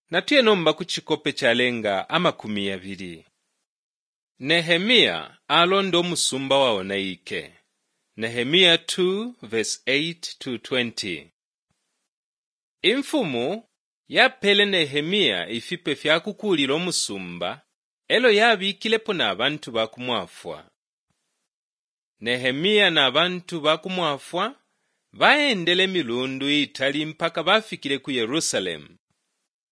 Natuye nomba ku cikope calenga 20. Nehemia alonda umusumba waonaike. Nehemia 2:8-20. Imfumu yapeele Nehemia ifipe fya kukuulila umusumba e lyo yabikilepo na bantu ba kumwafwa. Nehemia na bantu ba kumwafwa baendele imilundu iitali mpaka bafikile ku Yerusalemu.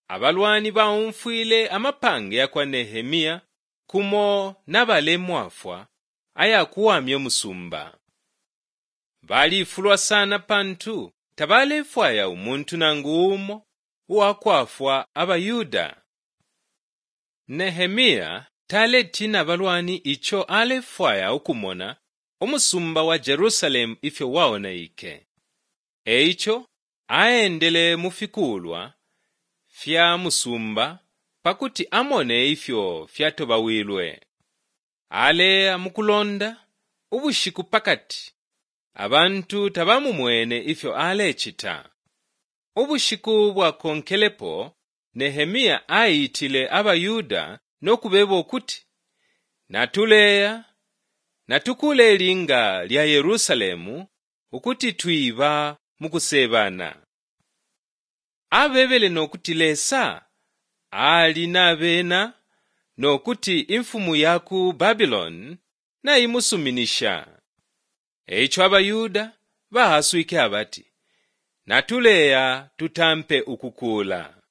Abalwani baumfwile amapange ya kwa Nehemia kumo na balemwafwa aya kuwamya umusumba. Balifulwa sana pantu tabalefwaya umuntu nangu umo uwa kwafwa abaYuda. Nehemia taletiina abalwani ico alefwaya ukumona umusumba wa Yerusalemu ifyo waonaike. E ico aendele mu fikuulwa fya musumba pa kuti amone ifyo fyatobawilwe. Aleya mu kulonda ubushiku pa kati, abantu tabamumwene ifyo alecita. Ubushiku bwakonkelepo Nehemia aitile abaYuda no kubeba ukuti, Natuleya, natukuule ilinga lya Yerusalemu ukuti twiba mu kuseebana. Abebele no kuti Lesa ali na bena no kuti imfumu ya ku Babiloni naimusuminisha. E ico abaYuda ba-aswike abati, Natuleya tutampe ukukuula.